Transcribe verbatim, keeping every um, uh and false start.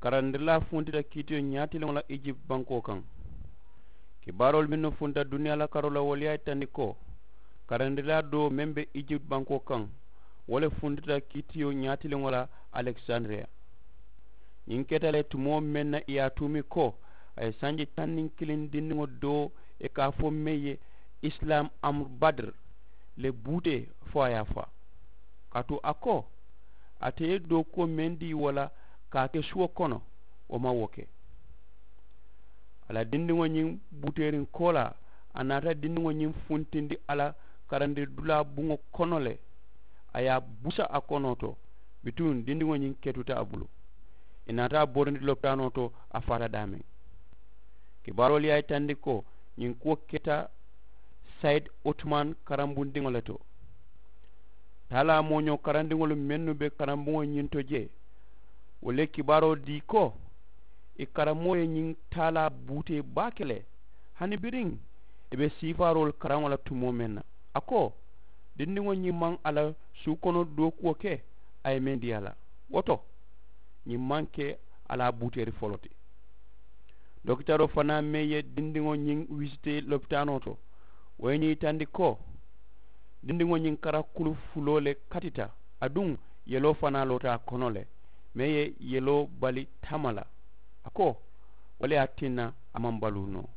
Karandirilaa funtita kiitiyo ñaatiliŋo la ijipti bankoo kaŋ. Kibaaroolu mennu funta duniyaa la karoo la wolu ye a yitandi ko, karandirilaa doo meŋ be ijipti bankoo kaŋ, wo le funtita kiitiyo ñaatiliŋo la alekisandiriya. Ñiŋ keta le tumoo meŋ na i ye a tuumi ko a ye sanji taŋ niŋ kiliŋ dindiŋo doo i ka a fo meŋ ye, isilaam amuru badiri le buutee fo a ye a faa. Kaatu a ko, ate ye dookuwo meŋ dii wo la ka a ke suwo kono, wo maŋ wo ke. A la dindiŋo ñiŋ buuteeriŋ koolaa, a naata dindiŋo ñiŋ funtindi a la karandiri dulaa buŋo kono le. A ye a busa a konoo to, bituŋ dindiŋo ñiŋ ketuta a bulu. I naata a borindi lopitaanoo to, a faata daameŋ. Kibaaroolu ye a yitandi ko ñiŋ kuwo keta sayidi otuman karambundiŋo le to. Taalaa mooñoo karandiŋolu mennu be karambuŋo ñiŋ to jee, wolu ye kibaaroo dii ko i karamoo ye ñiŋ taalaa buutee baake le. Hani biriŋ i be siifaaroolu karaŋo la tumoo meŋ na, a ko, dindiŋo ñiŋ maŋ a la suu kono dookuwo ke a ye meŋ dii a la, wo to ñiŋ maŋ ke a la a buuteeri foloo ti. Dokitaroo fanaa meŋ ye dindiŋo ñiŋ wisitee lopitaanoo to, wo ye ñiŋ yitandi ko dindiŋo ñiŋ kara kulu fuloo le katita, aduŋ yeloo fanaa loota a kono le meŋ ye yeloo bali tama la. A ko, wo le ye a tinna a maŋ baluu noo.